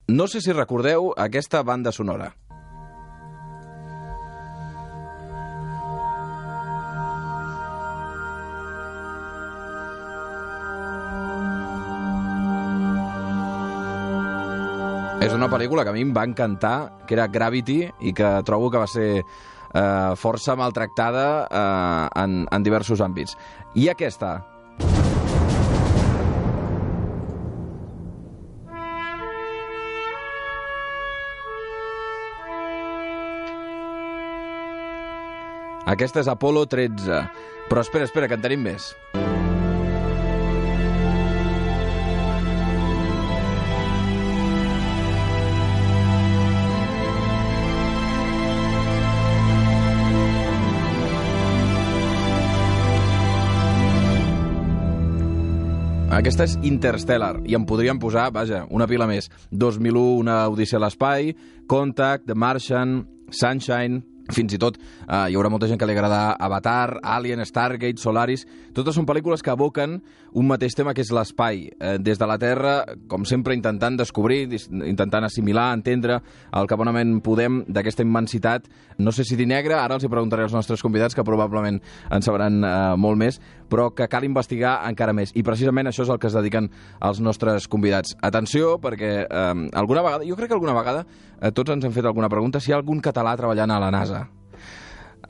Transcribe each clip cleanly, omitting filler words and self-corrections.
No sé si recordeu aquesta banda sonora. És una pel·lícula que a mi em va encantar, que era Gravity, i que trobo que va ser força maltractada en diversos àmbits. I aquesta. Aquesta és Apollo 13. Però espera, que en tenim més. Aquesta és Interstellar, i en podríem posar, vaja, una pila més. 2001, Una odissea a l'espai, Contact, The Martian, Sunshine... Fins i tot hi haurà molta gent que li agrada Avatar, Alien, Stargate, Solaris... Totes són pel·lícules que evoquen un mateix tema, que és l'espai. Des de la Terra, com sempre, intentant descobrir, intentant assimilar, entendre el que bonament podem d'aquesta immensitat. No sé si dir negre, ara els hi preguntaré als nostres convidats, que probablement en sabran molt més, però que cal investigar encara més. I precisament això és el que es dediquen els nostres convidats. Atenció, perquè alguna vegada, jo crec que alguna vegada tots ens hem fet alguna pregunta si hi ha algun català treballant a la NASA.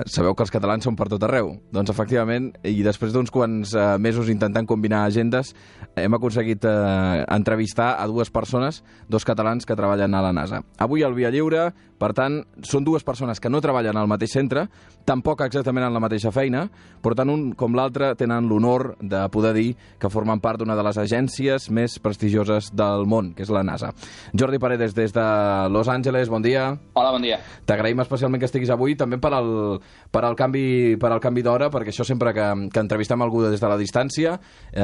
Sabeu que els catalans són per tot arreu. Doncs, efectivament, i després d'uns quants mesos intentant combinar agendes, hem aconseguit entrevistar a dues persones, dos catalans que treballen a la NASA. Avui al Via Lliure, per tant, són dues persones que no treballen al mateix centre, tampoc exactament en la mateixa feina, però tant un com l'altre tenen l'honor de poder dir que formen part d'una de les agències més prestigioses del món, que és la NASA. Jordi Paredes, des de Los Angeles, bon dia. Hola, bon dia. T'agraïm especialment que estiguis avui, també per al canvi d'hora, perquè això sempre que entrevistem algú des de la distància,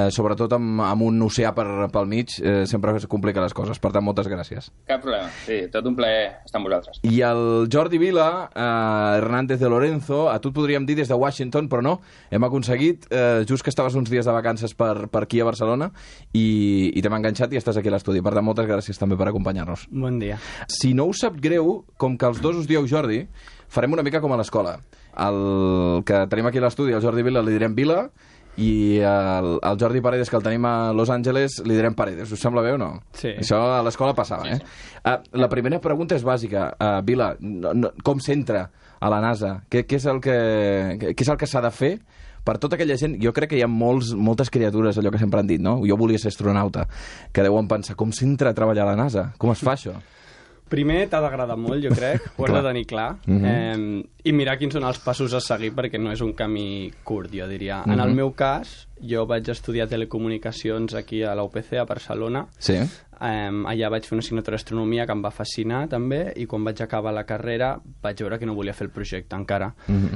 sobretot amb un oceà pel mig, sempre es complica les coses. Per tant, moltes gràcies. Cap problema. Sí, tot un plaer estar amb vosaltres. I el Jordi Vila, Hernández de Lorenzo, a tu et podríem dir des de Washington, però no, hem aconseguit, just que estaves uns dies de vacances per aquí a Barcelona, i t'hem enganxat i estàs aquí a l'estudi. Per tant, moltes gràcies també per acompanyar-nos. Bon dia. Si no us sap greu, com que els dos us dieu Jordi, farem una mica com a l'escola. El que tenim aquí a l'estudi, el Jordi Vila, li direm Vila, i el Jordi Paredes, que el tenim a Los Angeles, li direm Paredes. Us sembla bé o no? Sí. Això a l'escola passava, sí. La primera pregunta és bàsica. Vila, com s'entra a la NASA? Què és el que s'ha de fer per tota aquella gent? Jo crec que hi ha moltes criatures, allò que sempre han dit, no? Jo volia ser astronauta, que deuen pensar, com s'entra a treballar a la NASA? Com es fa això? Primer t'ha d'agradar molt, jo crec, ho has de tenir clar, i mirar quins són els passos a seguir, perquè no és un camí curt, jo diria. En el meu cas, jo vaig estudiar telecomunicacions aquí a la UPC, a Barcelona. Sí. Allà vaig fer una assignatura d'astronomia que em va fascinar també, i quan vaig acabar la carrera vaig veure que no volia fer el projecte encara.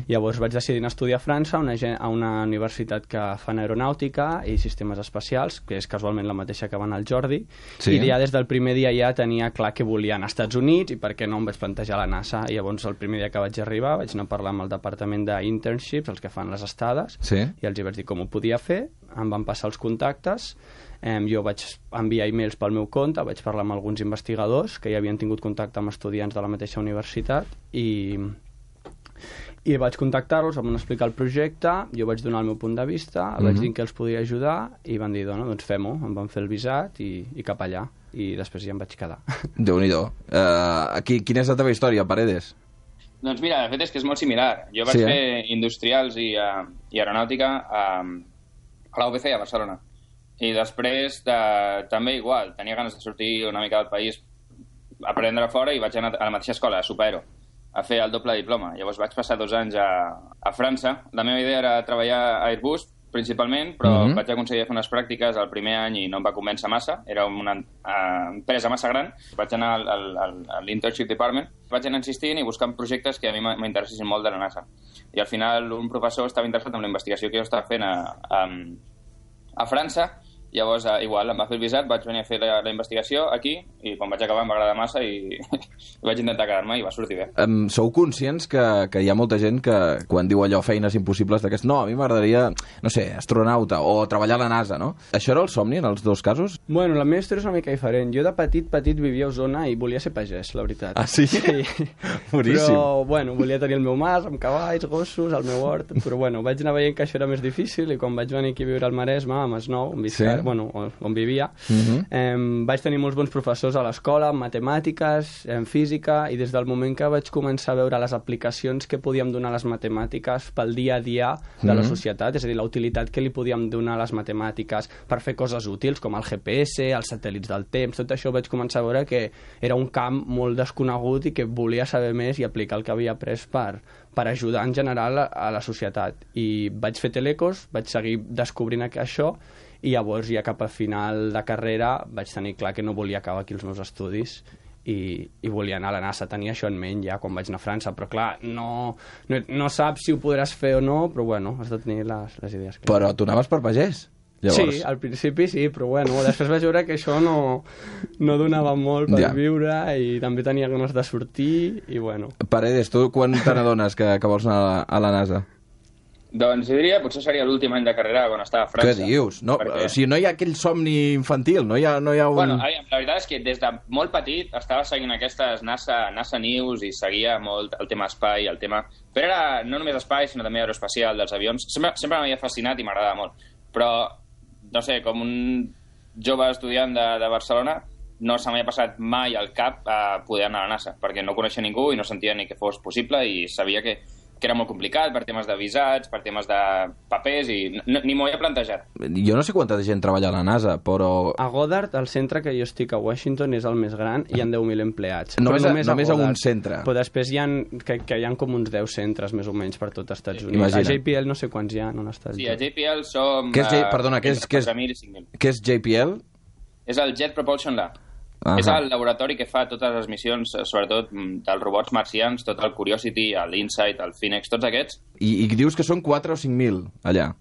Llavors vaig decidir anar a estudiar a França, a una universitat que fan aeronàutica i sistemes espacials, que és casualment la mateixa que va anar el Jordi, sí. I ja des del primer dia ja tenia clar que volia anar als Estats Units i per què no em vaig plantejar la NASA. I llavors el primer dia que vaig arribar vaig anar a parlar amb el departament d'internships, els que fan les estades, sí. I els hi vaig dir com ho podia fer, em van passar els contactes. Jo vaig enviar e-mails pel meu compte, vaig parlar amb alguns investigadors que ja havien tingut contacte amb estudiants de la mateixa universitat i vaig contactar-los, em van explicar el projecte, jo vaig donar el meu punt de vista, vaig dir que els podia ajudar i van dir, doncs fem-ho, em van fer el visat i cap allà, i després ja em vaig quedar. Déu-n'hi-do. Quina és la teva història, Paredes? Doncs mira, de fet és que és molt similar. Jo vaig fer industrials i aeronàutica a la UPC, a Barcelona. I després també igual, tenia ganes de sortir una mica del país, aprendre fora, i vaig anar a la mateixa escola, a Supaero, a fer el doble diploma. Llavors vaig passar 2 anys a França. La meva idea era treballar a Airbus, principalment, però vaig aconseguir fer unes pràctiques el primer any i no em va convèncer massa. Era una empresa massa gran. Vaig anar a l'Internship Department. Vaig anar insistint i buscant projectes que a mi m'interessessin molt de la NASA. I al final un professor estava interessat en la investigació que jo estava fent a França Llavors, igual, em va fer el visat, vaig venir a fer la investigació aquí, i quan vaig acabar em va agradar massa i vaig intentar quedar-me i va sortir bé. Sou conscients que hi ha molta gent que quan diu allò feines impossibles d'aquest, no, a mi m'agradaria, no sé, astronauta o treballar a la NASA, no? Això era el somni en els dos casos? Bueno, la meva història és una mica diferent. Jo de petit vivia a Osona i volia ser pagès, la veritat. Ah, sí? Sí. Boníssim. Però, bueno, volia tenir el meu mas amb cavalls, gossos, el meu hort, però bueno, vaig anar veient que això era més difícil i quan vaig venir aquí a viure al Maresme, a Masnou, on vivia, vaig tenir molts bons professors a l'escola, en matemàtiques, en física, i des del moment que vaig començar a veure les aplicacions que podíem donar a les matemàtiques pel dia a dia de la societat, és a dir, la utilitat que li podíem donar a les matemàtiques per fer coses útils, com el GPS, els satèl·lits del temps, tot això vaig començar a veure que era un camp molt desconegut i que volia saber més i aplicar el que havia après per ajudar en general a la societat. I vaig fer telecos, vaig seguir descobrint això, i llavors ja cap al final de carrera vaig tenir clar que no volia acabar aquí els meus estudis i volia anar a la NASA. Tenia això en ment ja quan vaig anar a França, però clar, no saps si ho podràs fer o no, però bueno, has de tenir les idees clares. Però tu anaves per pagès? Llavors. Sí, al principi sí, però bueno, després vaig veure que això no donava molt per viure i també tenia ganes de sortir i bueno. Paredes, tu quan te n'adones que vols anar a la NASA? Doncs jo diria, potser seria l'últim any de carrera quan estava a França. Què dius? No, perquè... O sigui, no hi ha aquell somni infantil, no hi ha un... Bueno, la veritat és que des de molt petit estava seguint aquestes NASA News i seguia molt el tema espai, el tema... Però era no només espai, sinó també aeroespacial dels avions. Sempre m'havia fascinat i m'agradava molt. Però, no sé, com un jove estudiant de Barcelona, no se m'havia passat mai al cap a poder anar a la NASA, perquè no coneixia ningú i no sentia ni que fos possible i sabia que era molt complicat per temes de visats, per temes de papers, i ni m'ho havia plantejat. Jo no sé quanta gent treballa a la NASA, però... A Goddard, el centre que jo estic a Washington, és el més gran, i hi ha 10.000 empleats. Només a un centre. Però després hi ha com uns 10 centres, més o menys, per tot Estats Units. Imagina. A JPL no sé quants hi ha, on està. Sí, a JPL som... Perdona, què és 4.000 i 5.000. Què és JPL? És el Jet Propulsion Lab. És el laboratori que fa totes les missions, sobretot dels robots marcians, tot el Curiosity, l'Insight, el Phoenix, tots aquests. I dius que són 4 o 5.000 allà?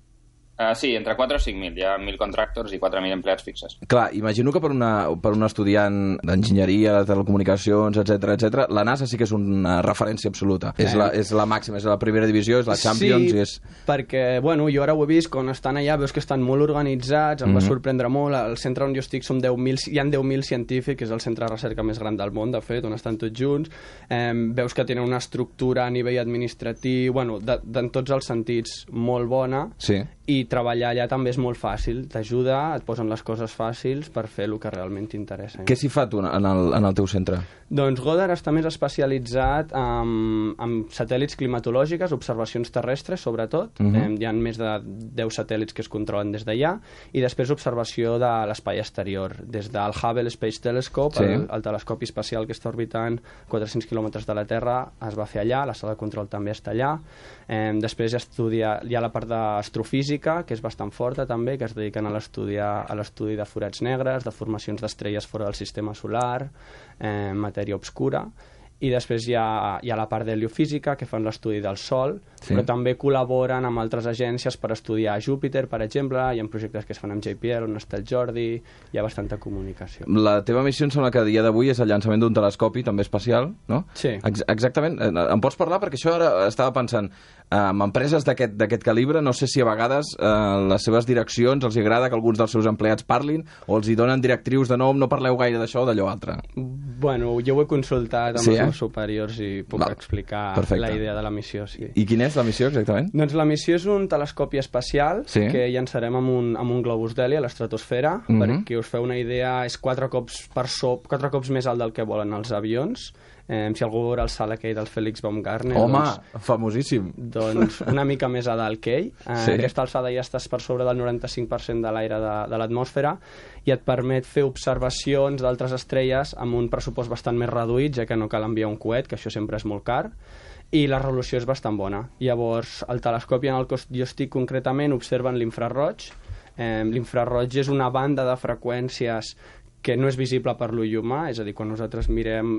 Sí, entre 4 o 5.000. Hi ha 1.000 contractors i 4.000 empleats fixes. Clar, imagino que per un estudiant d'enginyeria, de telecomunicacions, etc, la NASA sí que és una referència absoluta. És la màxima, és la primera divisió, és la Champions... Sí, perquè, bueno, jo ara ho he vist, quan estan allà veus que estan molt organitzats, em va sorprendre molt. Al centre on jo estic hi ha 10.000 científics, és el centre de recerca més gran del món, de fet, on estan tots junts. Veus que tenen una estructura a nivell administratiu, bueno, en tots els sentits molt bona, sí. I treballar allà també és molt fàcil, t'ajuda, et posen les coses fàcils per fer el que realment t'interessa. Què s'hi fa tu en el teu centre? Doncs Goddard està més especialitzat en satèl·lits climatològics, observacions terrestres, sobretot. Hi ha més de 10 satèl·lits que es controlen des d'allà, i després observació de l'espai exterior. Des del Hubble Space Telescope, el telescopi espacial que està orbitant 400 quilòmetres de la Terra, es va fer allà, la sala de control també està allà. Després hi ha la part d'astrofísica, que és bastant forta també, que es dediquen a l'estudi de forats negres, de formacions d'estrelles fora del sistema solar, matèria obscura, i després hi ha la part d'heliofísica, que fan l'estudi del Sol, però també col·laboren amb altres agències per estudiar Júpiter, per exemple, hi ha projectes que es fan amb JPL, on està el Jordi, hi ha bastanta comunicació. La teva missió em sembla que a dia d'avui és el llançament d'un telescopi, també espacial, no? Sí. Exactament. Em pots parlar? Perquè això ara estava pensant, amb empreses d'aquest calibre, no sé si a vegades les seves direccions els agrada que alguns dels seus empleats parlin, o els hi donen directrius de no parleu gaire d'això o d'allò altre. Bueno, jo ho he consultat amb els superiors i puc explicar la idea de la missió. Sí. I quina és la missió, exactament? Doncs la missió és un telescopi espacial que llançarem amb un globus d'heli a l'estratosfera, perquè us feu una idea, és 4 cops més alt del que volen els avions. Si algú veurà el salt aquell del Félix Baumgartner... Home, famosíssim! Doncs una mica més a dalt que ell. Aquesta alçada ja estàs per sobre del 95% de l'aire de l'atmosfera i et permet fer observacions d'altres estrelles amb un pressupost bastant més reduït, ja que no cal enviar un coet, que això sempre és molt car, i la resolució és bastant bona. Llavors, el telescopi en el que jo estic concretament observen l'infraroig. L'infraroig és una banda de freqüències que no és visible per l'ull humà, és a dir, quan nosaltres mirem,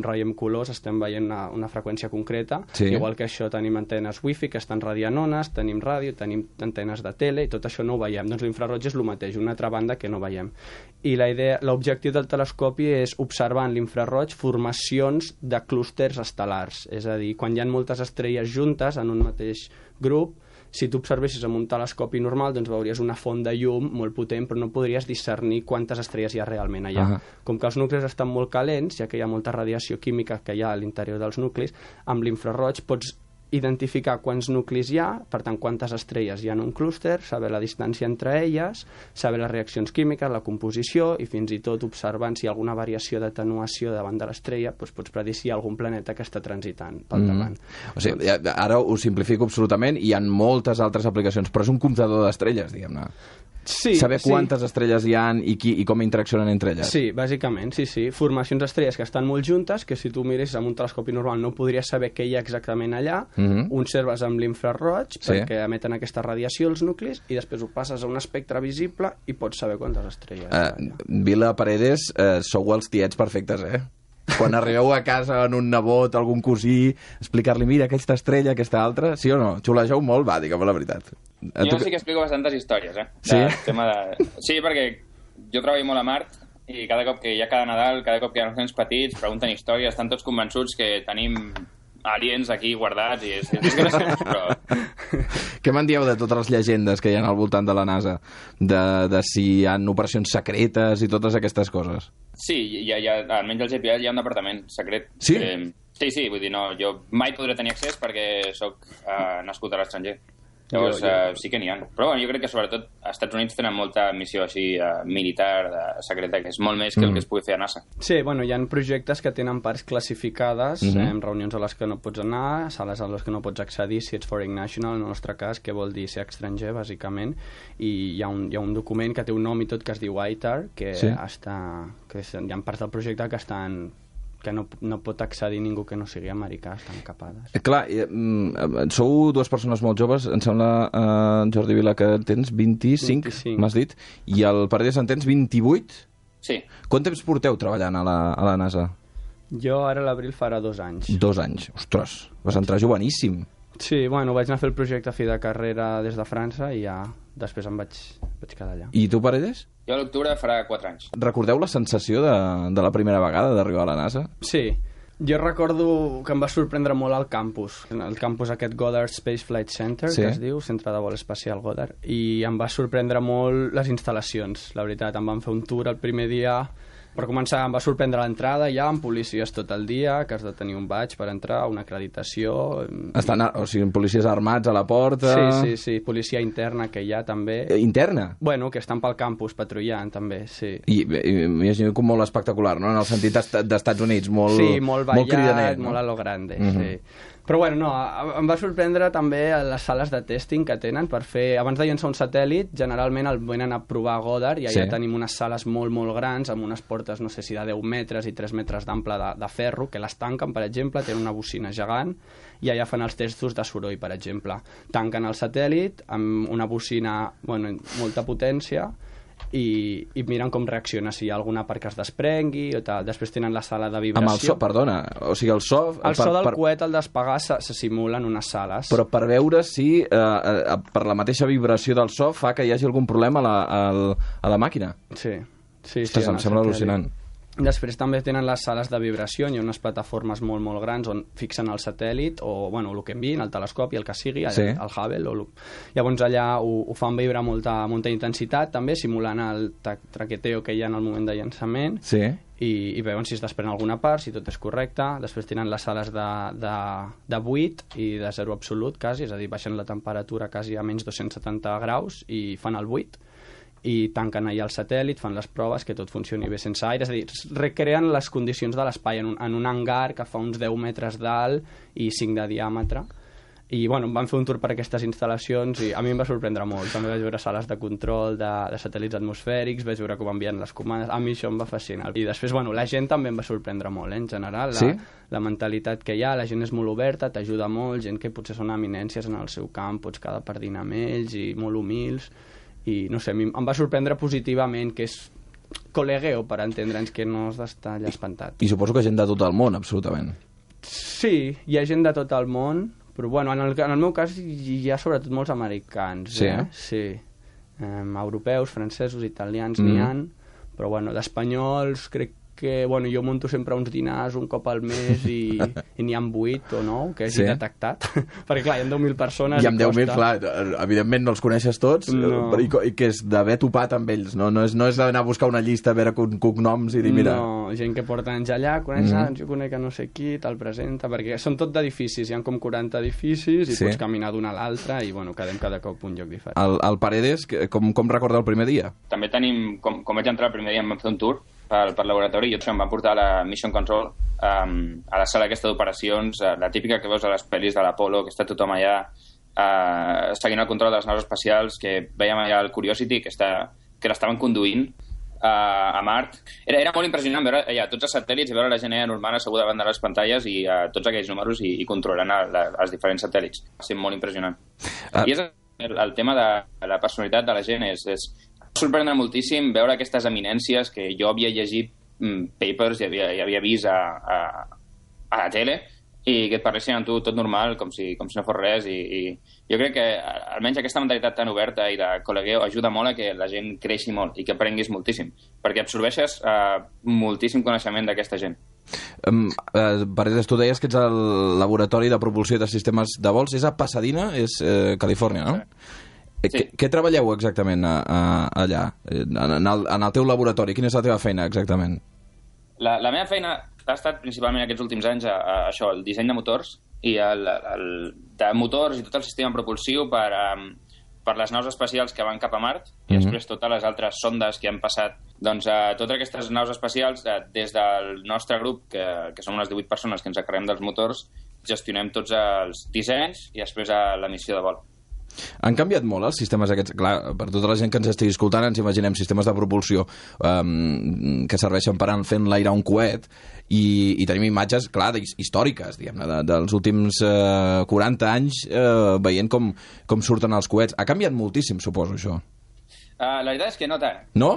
veiem colors, estem veient una freqüència concreta, igual que això tenim antenes wifi que estan radiant ones, tenim ràdio, tenim antenes de tele, i tot això no ho veiem. Doncs l'infraroig és el mateix, una altra banda que no veiem. I l'objectiu del telescopi és observar en l'infraroig formacions de clústers estel·lars, és a dir, quan hi ha moltes estrelles juntes en un mateix grup, si tu observessis amb un telescopi normal, doncs veuries una font de llum molt potent, però no podries discernir quantes estrelles hi ha realment allà. Com que els nuclis estan molt calents, ja que hi ha molta radiació química que hi ha a l'interior dels nuclis, amb l'infraroig pots identificar quants nuclis hi ha, per tant, quantes estrelles hi ha en un clúster, saber la distància entre elles, saber les reaccions químiques, la composició, i fins i tot observant si hi ha alguna variació d'atenuació davant de l'estrella, doncs pots predir si hi ha algun planeta que està transitant pel davant. O sigui, ara ho simplifico absolutament, hi ha moltes altres aplicacions, però és un comptador d'estrelles, diguem-ne. Sí, saber quantes estrelles hi ha i com interaccionen entre elles. Sí, bàsicament, sí. Formacions d'estrelles que estan molt juntes, que si tu miressis amb un telescopi normal no podries saber què hi ha exactament allà, observes amb l'infraroig perquè emeten aquesta radiació els nuclis i després ho passes a un espectre visible i pots saber quantes estrelles hi ha. Vila Paredes, sou els tiets perfectes, Quan arribeu a casa en un nebot, algun cosí, explicar-li, mira, aquesta estrella, aquesta altra, sí o no? Xulegeu molt, va, digue'm la veritat. Jo sí que explico bastantes històries, Sí? Sí, perquè jo treballo molt a Mart i cada cop que hi ha cada Nadal, cada cop que hi ha uns nens petits, pregunten històries, estan tots convençuts que tenim aliens aquí guardats i és graciós, però... Què me'n dieu de totes les llegendes que hi ha al voltant de la NASA? De si hi ha operacions secretes i totes aquestes coses? Sí, almenys al GPL hi ha un departament secret. Sí? Sí, vull dir, no, jo mai podré tenir accés perquè sóc nascut a l'estranger. Llavors, sí que n'hi ha. Però bueno, jo crec que sobretot als Estats Units tenen molta missió així militar, secreta, que és molt més que el que es pugui fer a NASA. Sí, bueno, hi ha projectes que tenen parts classificades, reunions a les que no pots anar, sales a les que no pots accedir si ets foreign national, en el nostre cas, que vol dir ser estranger, bàsicament, i hi ha un document que té un nom i tot que es diu ITAR, que hi ha parts del projecte que estan... que no pot accedir ningú que no sigui americà, estan capades. Clar, sou dues persones molt joves, em sembla, Jordi Vila, que tens 25. M'has dit, i el Paredes en tens 28? Sí. Quant temps porteu treballant a la NASA? Jo ara a l'abril farà 2 anys. 2 anys, ostres, vas entrar joveníssim. Sí, bueno, vaig anar a fer el projecte a fi de carrera des de França i ja després em vaig quedar allà. I tu, Paredes? Jo a l'octubre farà 4 anys. Recordeu la sensació de la primera vegada d'arribar a la NASA? Sí. Jo recordo que em va sorprendre molt el campus aquest Goddard Space Flight Center, que es diu, Centre de Vol Espacial Goddard, i em va sorprendre molt les instal·lacions, la veritat. Em van fer un tour el primer dia. Per començar, em va sorprendre l'entrada ja, amb policies tot el dia, que has de tenir un badge per entrar, una acreditació... O sigui, policies armats a la porta... Sí, policia interna que hi ha també... Interna? Bueno, que estan pel campus patrullant també, sí. I m'imagino com molt espectacular, no? En el sentit d'Estats Units, molt cridaner. Sí, molt ballat, no? molt a lo grande, sí. Però bueno, no, em va sorprendre també les sales de testing que tenen per fer... Abans de llançar un satèl·lit, generalment el venen a provar a Goddard i allà tenim unes sales molt, molt grans amb unes portes, no sé si de 10 metres i 3 metres d'ample de ferro, que les tanquen, per exemple, tenen una bocina gegant i allà fan els testos de soroll, per exemple. Tanquen el satèl·lit amb una bocina, bueno, molta potència i miren com reacciona, si hi ha alguna part que es desprengui o tal. Després tenen la sala de vibració. Amb el so, perdona, o sigui, el so... El so del coet al despegar se simula en unes sales. Però per veure si per la mateixa vibració del so fa que hi hagi algun problema a la màquina. Sí. Ostres, em sembla al·lucinant. Després també tenen les sales de vibració, hi ha unes plataformes molt, molt grans on fixen el satèl·lit o, bueno, el que enviïn, el telescopi, el que sigui, el Hubble. Llavors allà ho fan vibrar molta intensitat, també, simulant el traqueteo que hi ha en el moment de llançament. Sí. I veuen si es desprèn alguna part, si tot és correcte. Després tenen les sales de buit i de zero absolut, quasi, és a dir, baixen la temperatura quasi a menys 270 graus i fan el buit. I tanquen allà el satèl·lit, fan les proves que tot funcioni bé sense aire, és a dir, recreen les condicions de l'espai en un hangar que fa uns 10 metres d'alt i 5 de diàmetre. I bueno, em van fer un tour per aquestes instal·lacions i a mi em va sorprendre molt. També vaig veure sales de control de satèl·lits atmosfèrics, vaig veure com envien les comandes, a mi això em va fascinar. I després, bueno, la gent també em va sorprendre molt, en general, la mentalitat que hi ha, la gent és molt oberta, t'ajuda molt, gent que potser són eminències en el seu camp, pots quedar per dinar amb ells i molt humils. I no sé, em va sorprendre positivament, que és col·legueo, per entendre'ns, que no has d'estar allà espantat. I suposo que gent de tot el món, absolutament. Sí, hi ha gent de tot el món, però bueno, en el meu cas hi ha sobretot molts americans. Sí, Sí. Europeus, francesos, italians n'hi ha, però bueno, d'espanyols crec que, bueno, jo monto sempre uns dinars un cop al mes i n'hi ha 8 o 9 que hagi detectat, perquè clar, hi ha 10.000 persones i amb 10.000, clar, evidentment no els coneixes tots, i que és d'haver topat amb ells, no és d'anar a buscar una llista a veure cognoms i dir, mira... No, gent que porta anys allà, coneix, jo conec a no sé qui, te'l presenta, perquè són tot d'edificis, hi ha com 40 edificis i pots caminar d'un a l'altre i, bueno, quedem cada cop un lloc diferent. El Paredes, com recorda el primer dia? També tenim, com vaig entrar el primer dia, em vam fer un tour per laboratori i em van portar a la Mission Control, a la sala aquesta d'operacions, la típica que veus a les pel·lis de l'Apollo, que està tothom allà seguint el control de les naus espacials, que veiem allà el Curiosity, que l'estaven conduint a Mart. Era molt impressionant veure allà tots els satèl·lits i veure la gent normal asseguda davant de les pantalles i tots aquells números i controlant els diferents satèl·lits. Va ser molt impressionant. I és el tema de la personalitat de la gent és sorprendre moltíssim veure aquestes eminències que jo havia llegit papers i havia vist a la tele i que et parlessin amb tu tot normal, com si no fos res, i jo crec que almenys aquesta mentalitat tan oberta i de col·legueo ajuda molt a que la gent creixi molt i que aprenguis moltíssim, perquè absorbeixes moltíssim coneixement d'aquesta gent. Paredes, tu deies que ets al laboratori de propulsió de sistemes de vols, és a Pasadena, és Califòrnia, no? Sí. Què treballeu exactament allà, en el teu laboratori? Quina és la teva feina exactament? La meva feina ha estat principalment aquests últims anys això, el disseny de motors i de motors i tot el sistema propulsiu per les naus espacials que van cap a Mart i després totes les altres sondes que han passat. Doncs totes aquestes naus espacials, des del nostre grup, que som unes 18 persones que ens encarreguem dels motors, gestionem tots els dissenys i després la missió de vol. Han canviat molt els sistemes aquests? Clar, per tota la gent que ens estigui escoltant ens imaginem sistemes de propulsió que serveixen per fer enlairar un coet i tenim imatges, clar, històriques, diguem-ne, dels últims 40 anys veient com surten els coets. Ha canviat moltíssim, suposo, això. La veritat és que no tant. No?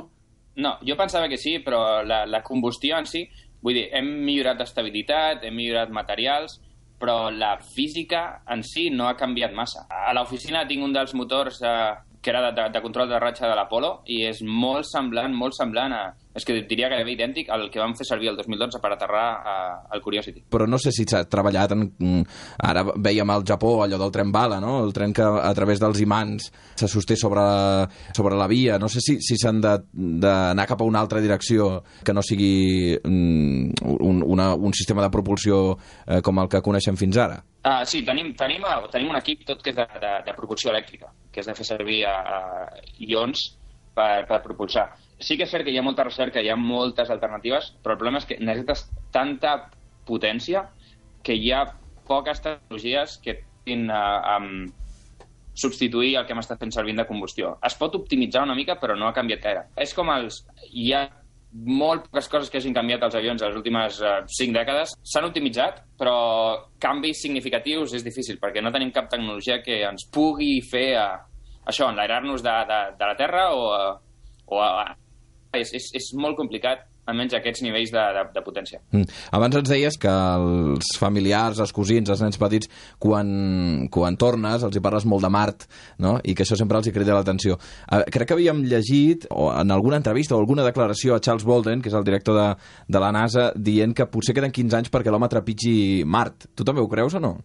No, jo pensava que sí, però la combustió en si, vull dir, hem millorat d'estabilitat, hem millorat materials, però la física en si no ha canviat massa. A l'oficina tinc un dels motors que era de control de ratxa de l'Apollo i és molt semblant a... És que diria gairebé idèntic al que vam fer servir el 2012 per aterrar al Curiosity. Però no sé si s'ha treballat ara vèiem al Japó allò del tren bala, no? El tren que a través dels imants se sosté sobre la via. No sé si s'han d'anar cap a una altra direcció que no sigui un sistema de propulsió com el que coneixem fins ara. Sí, tenim un equip tot que és de propulsió elèctrica, que és de fer servir ions per propulsar. Sí que és cert que hi ha molta recerca, hi ha moltes alternatives, però el problema és que necessites tanta potència que hi ha poques tecnologies que puguin substituir el que hem estat fent servir de combustió. Es pot optimitzar una mica, però no ha canviat gaire. És com hi ha molt poques coses que hagin canviat als avions en les últimes 5 dècades. S'han optimitzat, però canvis significatius és difícil, perquè no tenim cap tecnologia que ens pugui fer això, enlairar-nos de la Terra és molt complicat, almenys aquests nivells de potència. Abans ens deies que els familiars, els cosins, els nens petits, quan tornes, els hi parles molt de Mart, no? I que això sempre els hi crida l'atenció. Crec que havíem llegit, o en alguna entrevista o alguna declaració a Charles Bolden, que és el director de la NASA, dient que potser queden 15 anys perquè l'home trepitgi Mart. Tu també ho creus o no?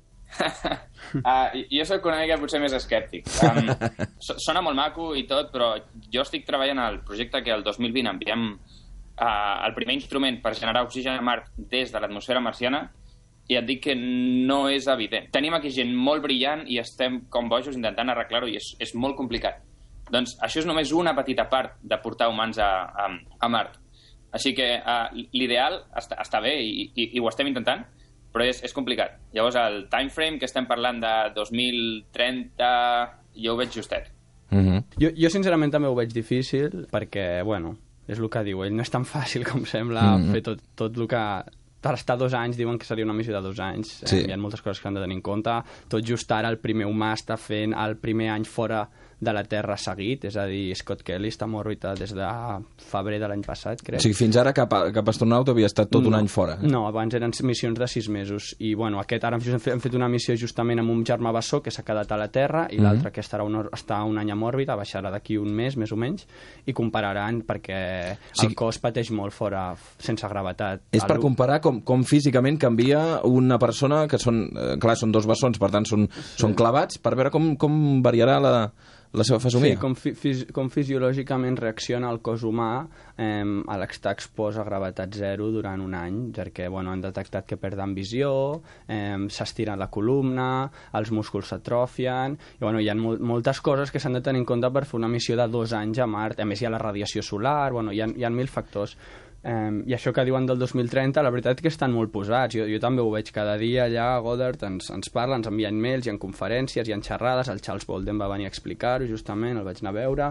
Jo soc una mica potser més escèptic. Sona molt maco i tot, però jo estic treballant al projecte que el 2020 enviem el primer instrument per generar oxigen a Mart des de l'atmosfera marciana i et dic que no és evident. Tenim aquí gent molt brillant i estem com bojos intentant arreglar-ho i és molt complicat. Doncs això és només una petita part de portar humans a Mart. Així que l'ideal està bé i ho estem intentant, però és complicat. Llavors, el time frame que estem parlant de 2030, jo ho veig justet. Jo sincerament també ho veig difícil, perquè, bueno, és el que diu ell, no és tan fàcil com sembla fer tot el que... Per estar 2 anys, diuen que seria una missió de 2 anys. Hi ha moltes coses que han de tenir en compte. Tot just ara el primer humà està fent el primer any fora de la Terra seguit, és a dir, Scott Kelly està en òrbita des de febrer de l'any passat, crec. O sigui, fins ara cap astronauta havia estat tot un any fora. No, abans eren missions de 6 mesos. I, bueno, ara hem fet una missió justament amb un germà bessó que s'ha quedat a la Terra i l'altre que està un any en òrbita, baixarà d'aquí un mes, més o menys, i compararan perquè el cos pateix molt fora, sense gravetat. És per comparar com físicament canvia una persona, que són 2 bessons, per tant són clavats, per veure com variarà la seva fesomia. Sí, com fisiològicament reacciona el cos humà a l'estar expost a gravetat zero durant un any, perquè han detectat que perden visió, s'estira la columna, els músculs s'atrofien, i hi ha moltes coses que s'han de tenir en compte per fer una missió de 2 anys a Mart. A més, hi ha la radiació solar, hi ha 1.000 factors. I això que diuen del 2030, la veritat és que estan molt posats. Jo també ho veig cada dia allà a Goddard, ens parla, ens envia mails, hi ha conferències, hi ha xerrades, el Charles Bolden va venir a explicar-ho justament, el vaig anar a veure.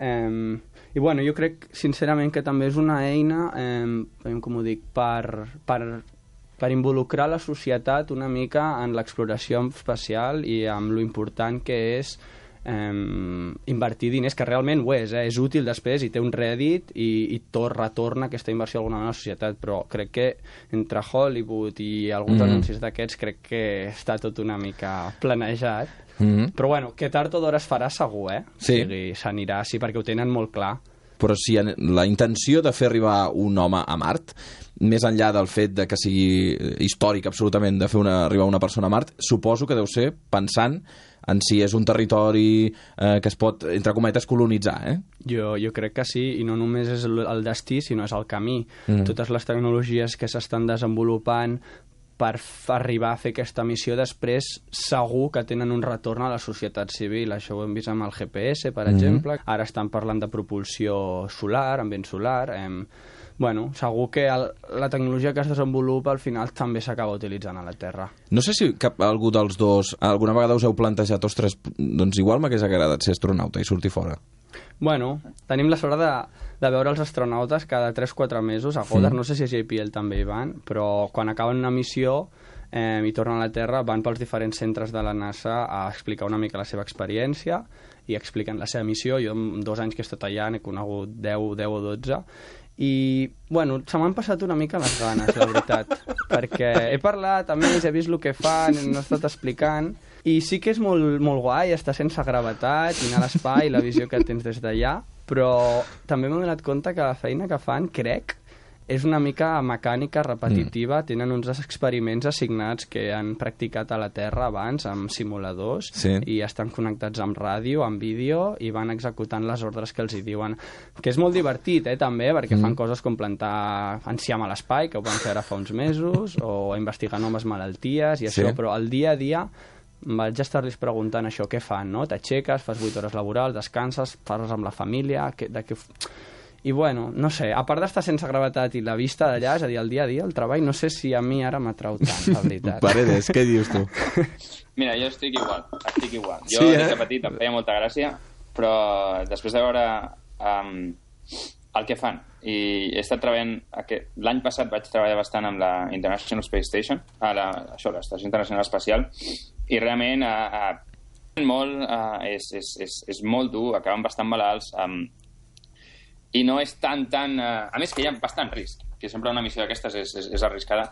I jo crec sincerament que també és una eina, com ho dic, per involucrar la societat una mica en l'exploració espacial i amb lo important que és invertir diners, que realment ho és útil després i té un rèdit i retorna aquesta inversió alguna vegada a la societat, però crec que entre Hollywood i alguns anuncis d'aquests crec que està tot una mica planejat, però que tard o d'hora es farà segur, Sí. O sigui, s'anirà, sí, perquè ho tenen molt clar. Però si la intenció de fer arribar un home a Mart, més enllà del fet de que sigui històric absolutament de fer arribar una persona a Mart, suposo que deu ser pensant en si és un territori que es pot, entre cometes, colonitzar, Jo crec que sí, i no només és el destí, sinó és el camí. Totes les tecnologies que s'estan desenvolupant per arribar a fer aquesta missió després segur que tenen un retorn a la societat civil. Això ho hem vist amb el GPS, per exemple. Ara estan parlant de propulsió solar, amb vent solar. Segur que la tecnologia que es desenvolupa al final també s'acaba utilitzant a la Terra. No sé si algú dels dos alguna vegada us heu plantejat, ostres, doncs igual m'hagués agradat ser astronauta i sortir fora. Tenim la sort de veure els astronautes cada 3-4 mesos a Goddard, no sé si a JPL també hi van, però quan acaben una missió i tornen a la Terra van pels diferents centres de la NASA a explicar una mica la seva experiència i expliquen la seva missió. Jo en 2 anys que he estat allà n'he conegut 10 o 12 i, se m'han passat una mica les ganes, la veritat, perquè he parlat amb ells, he vist el que fan, n'he estat explicant, i sí que és molt, molt guai estar sense gravetat i anar a l'espai, la visió que tens des d'allà, però també m'he donat compte que la feina que fan, crec, és una mica mecànica, repetitiva. Tenen uns experiments assignats que han practicat a la Terra abans amb simuladors i estan connectats amb ràdio, amb vídeo i van executant les ordres que els hi diuen, que és molt divertit també, perquè fan coses com plantar enciam a l'espai, que ho van fer ara fa uns mesos, o investigar noves malalties i això, però al dia a dia vaig estar-los preguntant això, què fan, no? T'aixeques, fas 8 hores laborals, descanses, parles amb la família, i no sé, a part d'estar sense gravetat i la vista d'allà, és a dir, el dia a dia, el treball, no sé si a mi ara m'atrau tant, la veritat. Paredes, què dius tu? Mira, jo estic igual. Jo des de petit em feia molta gràcia, però després de veure el que fan, i he estat treballant, l'any passat vaig treballar bastant amb la International Space Station, l'Estació Internacional Espacial, i realment és molt dur, acaben bastant malalts, i no és tan... A més que hi ha bastant risc, que sempre una missió d'aquestes és arriscada.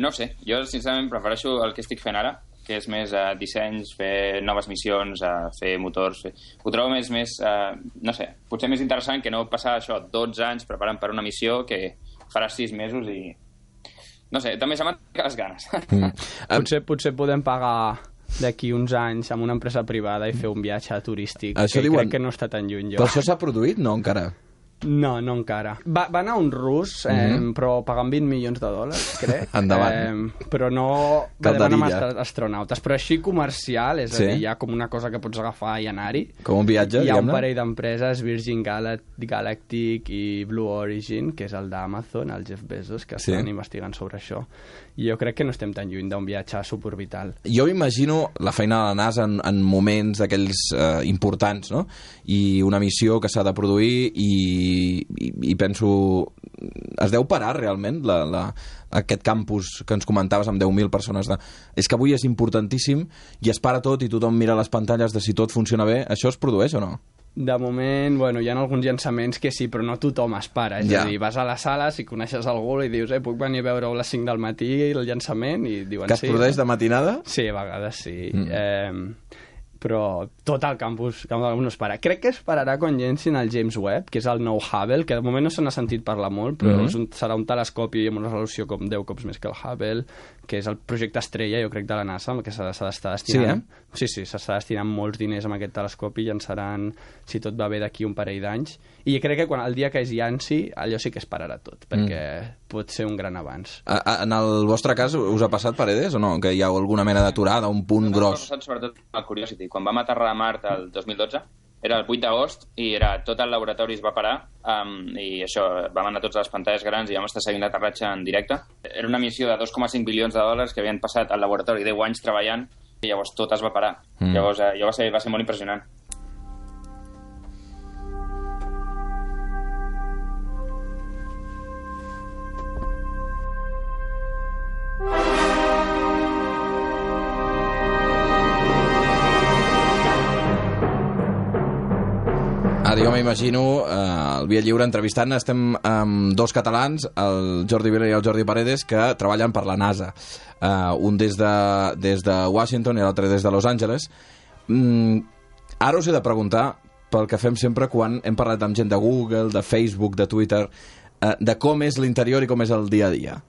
No sé, jo sincerament prefereixo el que estic fent ara, que és més dissenys, fer noves missions, fer motors... Ho trobo més, no sé, potser més interessant que no passar això 12 anys preparant per una missió que faràs 6 mesos i... No sé, també se m'han ficat les ganes. Potser podem pagar d'aquí uns anys amb una empresa privada i fer un viatge turístic, això que diuen... crec que no està tan lluny jo. Però això s'ha produït? No, encara. No encara. Va anar un rus, però pagant $20 milions, crec. Endavant. Però no va demanar amb astronautes. Però així comercial, és a dir, hi ha com una cosa que pots agafar i anar-hi. Com un viatge, hi ha un parell d'empreses, Virgin Galactic i Blue Origin, que és el d'Amazon, el Jeff Bezos, que estan investigant sobre això. I jo crec que no estem tan lluny d'un viatge suborbital. Jo m'imagino la feina de la NASA en moments d'aquells importants, no? I una missió que s'ha de produir i penso, es deu parar realment aquest campus que ens comentaves amb 10.000 persones. És que avui és importantíssim i es para tot i tothom mira les pantalles de si tot funciona bé. Això es produeix o no? De moment, bueno, hi ha alguns llançaments que sí, però no tothom es para. És a dir, vas a la sala, si coneixes algú i dius, puc venir a veure-ho a les 5 del matí el llançament? I diuen que es produeix de matinada? Sí, a vegades sí. Però tot el campus no es para. Crec que es pararà quan llencin el James Webb, que és el nou Hubble, que de moment no se n'ha sentit parlar molt, però serà un telescopi amb una resolució com 10 cops més que el Hubble, que és el projecte estrella, jo crec, de la NASA, amb el que s'ha d'estar destinant. Sí, s'està destinant molts diners amb aquest telescopi i llançaran, si tot va bé, d'aquí un parell d'anys. I crec que el dia que es llanci, allò sí que es pararà tot, perquè pot ser un gran avanç. En el vostre cas, us ha passat, Paredes, o no? Que hi ha alguna mena d'aturada, un punt gros? M'ha passat sobretot el Curiosity. Quan vam aterrar a Mart el 2012, era el 8 d'agost i tot el laboratori es va parar i això, vam anar tots a les pantalles grans i vam estar seguint l'aterratge en directe. Era una missió de 2,5 bilions de dòlars que havien passat al laboratori 10 anys treballant i llavors tot es va parar. Llavors va ser molt impressionant. Ara jo m'imagino el Via Lliure entrevistant, estem amb dos catalans, el Jordi Vila i el Jordi Paredes, que treballen per la NASA. Un des de Washington i l'altre des de Los Angeles. Ara us he de preguntar pel que fem sempre quan hem parlat amb gent de Google, de Facebook, de Twitter, de com és l'interior i com és el dia a dia.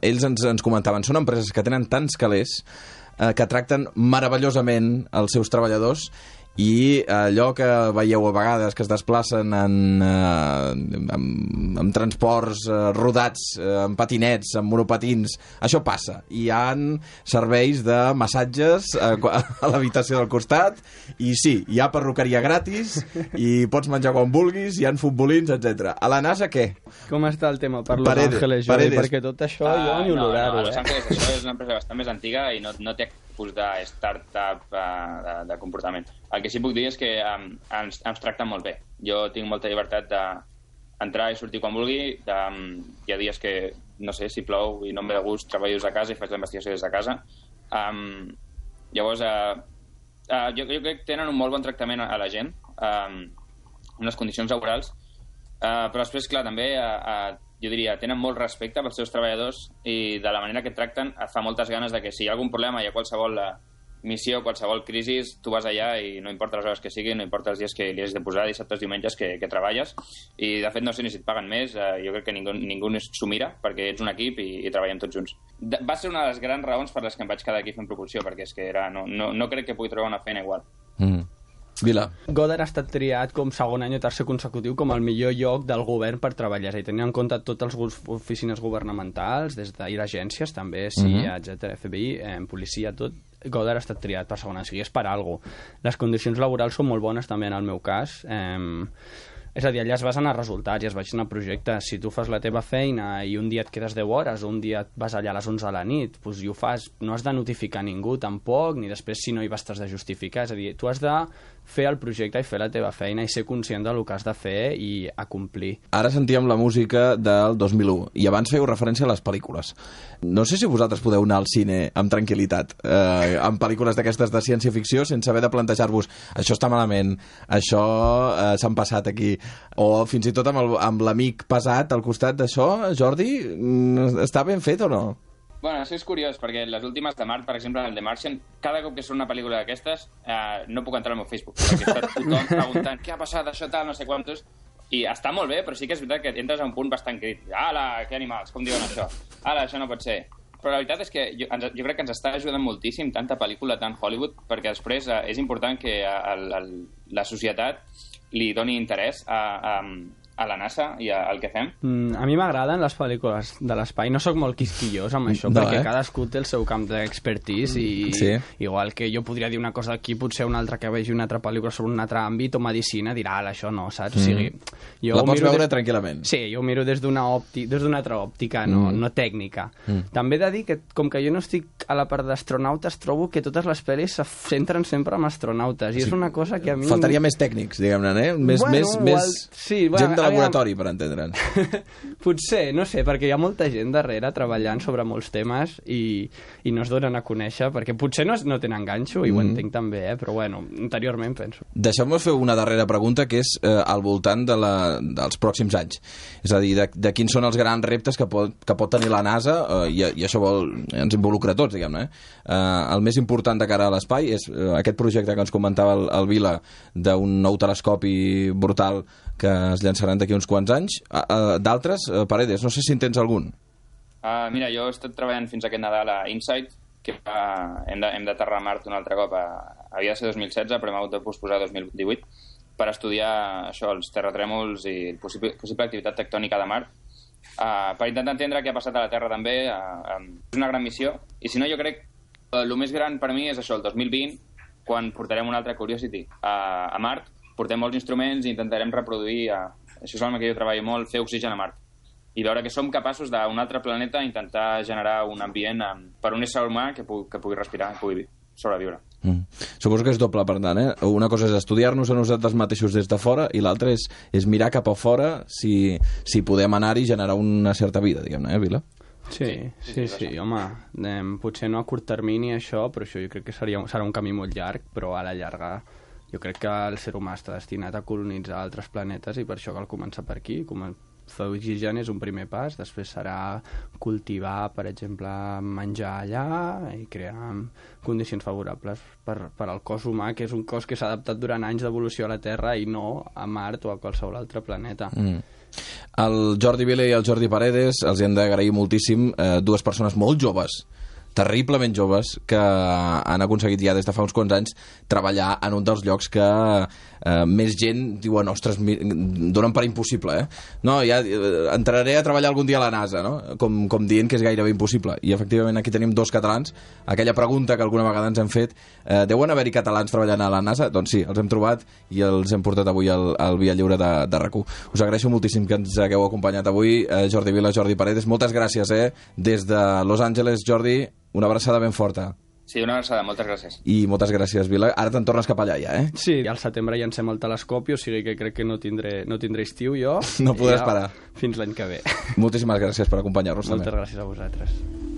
Ells ens comentaven, són empreses que tenen tants calés, que tracten meravellosament els seus treballadors i allò que veieu a vegades que es desplacen amb transports rodats, amb patinets, amb monopatins, això passa. Hi ha serveis de massatges a l'habitació del costat i sí, hi ha perruqueria gratis i pots menjar quan vulguis, hi ha futbolins, etc. A la NASA què? Com està el tema per Los Angeles, Jordi? Perquè tot això jo ni olorar-ho. Los Angeles això és una empresa bastant més antiga i no té tipus de startup de comportament. El que sí puc dir és que ens tracten molt bé. Jo tinc molta llibertat d'entrar i sortir quan vulgui. Hi ha dies que, no sé, si plou i no em ve de gust, treballo des de casa i faig la investigació des de casa. Llavors, jo crec que tenen un molt bon tractament a la gent, unes condicions laborals, però després, clar, també jo diria, tenen molt respecte pels seus treballadors i de la manera que tracten et fa moltes ganes de que si hi ha algun problema, hi ha qualsevol missió, qualsevol crisi, tu vas allà i no importa les hores que siguin, no importa els dies que li has de posar, dissabtes, diumenges que treballes, i de fet no sé ni si et paguen més, jo crec que ningú s'ho mira perquè ets un equip i treballem tots junts. Va ser una de les grans raons per les que em vaig quedar aquí fent propulsió, perquè és que no crec que pugui trobar una feina igual. Vila. Goddard ha estat triat com segon any o tercer consecutiu com el millor lloc del govern per treballar, i tenint en compte totes les oficines governamentals, des d'ir a agències també, CIA, etc., FBI, policia, tot, Goddard ha estat triat per segon any, o sigui, és per alguna cosa. Les condicions laborals són molt bones també en el meu cas, és a dir, allà es basen els resultats i es basen a projectes. Si tu fas la teva feina i un dia et quedes 10 hores o un dia et vas allà a les 11 de la nit, doncs i ho fas, no has de notificar ningú tampoc, ni després si no hi vas t'has de justificar. És a dir, tu has de fer el projecte i fer la teva feina i ser conscient del que has de fer i acomplir. Ara sentíem la música del 2001 i abans fèieu referència a les pel·lícules. No sé si vosaltres podeu anar al cine amb tranquil·litat, amb pel·lícules d'aquestes de ciència-ficció, sense haver de plantejar-vos això està malament, això s'han passat aquí, o fins i tot amb l'amic pesat al costat d'això. Jordi, està ben fet o no? Bueno, això és curiós, perquè les últimes de Mart, per exemple, el The Martian, cada cop que surt una pel·lícula d'aquestes, no puc entrar al meu Facebook, perquè està tothom preguntant què ha passat, això tal, no sé quantos, i està molt bé, però sí que és veritat que entres a un punt bastant crític. Ala, que animals, com diuen això? Ala, això no pot ser. Però la veritat és que jo crec que ens està ajudant moltíssim tanta pel·lícula, tant Hollywood, perquè després és important que la societat li doni interès a la NASA i al que fem. A mi m'agraden les pel·lícules de l'espai. No sóc molt quisquillós amb això, perquè cadascú té el seu camp d'expertise i igual que jo podria dir una cosa aquí, potser un altre que vegi una altra pel·lícula sobre un altre àmbit o medicina dirà, això no, saps? O sigui, la pots veure tranquil·lament. Sí, jo ho miro des d'una altra òptica, no tècnica. També he de dir que, com que jo no estic a la part d'astronautes, trobo que totes les pel·lis se centren sempre en astronautes, i és una cosa que a mi... Faltaria més tècnics, diguem-ne, més gent de la laboratori, per entendre'ns. Potser, no sé, perquè hi ha molta gent darrere treballant sobre molts temes i no es donen a conèixer, perquè potser no tenen ganxo, i ho entenc també, però bueno, interiorment penso. Deixeu-me fer una darrera pregunta, que és al voltant dels pròxims anys. És a dir, de quins són els grans reptes que pot tenir la NASA, i això ens involucra a tots, diguem-ne. El més important de cara a l'espai és aquest projecte que ens comentava el Vila, d'un nou telescopi brutal que es llançaran d'aquí uns quants anys. D'altres, Paredes, no sé si en tens algun. Mira, jo he estat treballant fins aquest Nadal a InSight, que hem d'aterrar a Mart un altre cop. Havia de ser 2016, però hem hagut de posposar 2018, per estudiar això, els terratrèmols i possible activitat tectònica de Mart, per intentar entendre què ha passat a la Terra també. És una gran missió, i si no, jo crec que el més gran per mi és això, el 2020, quan portarem un altre Curiosity a Mart, portem molts instruments i intentarem reproduir, això és el que jo treballo molt, fer oxigen a Mart, i veure que som capaços d'un altre planeta intentar generar un ambient per un ésser humà que pugui respirar, que pugui sobreviure. Suposo que és doble, per tant, eh? Una cosa és estudiar-nos a nosaltres mateixos des de fora, i l'altra és mirar cap a fora si podem anar-hi i generar una certa vida, diguem-ne, Vila? Sí, home, potser no a curt termini això, però això jo crec que serà un camí molt llarg, però a la llarga jo crec que el ser humà està destinat a colonitzar altres planetes, i per això cal començar per aquí. Fer oxigen és un primer pas, després serà cultivar, per exemple, menjar allà i crear condicions favorables per al cos humà, que és un cos que s'ha adaptat durant anys d'evolució a la Terra i no a Mart o a qualsevol altre planeta. El Jordi Vila i el Jordi Paredes els hem d'agrair moltíssim, dues persones molt joves, terriblement joves, que han aconseguit ja des de fa uns quants anys treballar en un dels llocs que més gent diuen, ostres, donen per impossible, no, ja entraré a treballar algun dia a la NASA, no? Com dient que és gairebé impossible, i efectivament aquí tenim dos catalans. Aquella pregunta que alguna vegada ens hem fet, deuen haver-hi catalans treballant a la NASA? Doncs sí, els hem trobat i els hem portat avui al Via Lliure de RAC1. Us agraeixo moltíssim que ens hagueu acompanyat avui, Jordi Vila, Jordi Paredes, moltes gràcies, des de Los Angeles. Jordi, una abraçada ben forta. Sí, una abraçada, moltes gràcies. I moltes gràcies, Vila. Ara te'n tornes cap allà, ja, Sí, al setembre llancem el telescopi, o sigui que crec que no tindré estiu jo. No podràs parar. Fins l'any que ve. Moltíssimes gràcies per acompanyar-nos. Moltes gràcies a vosaltres.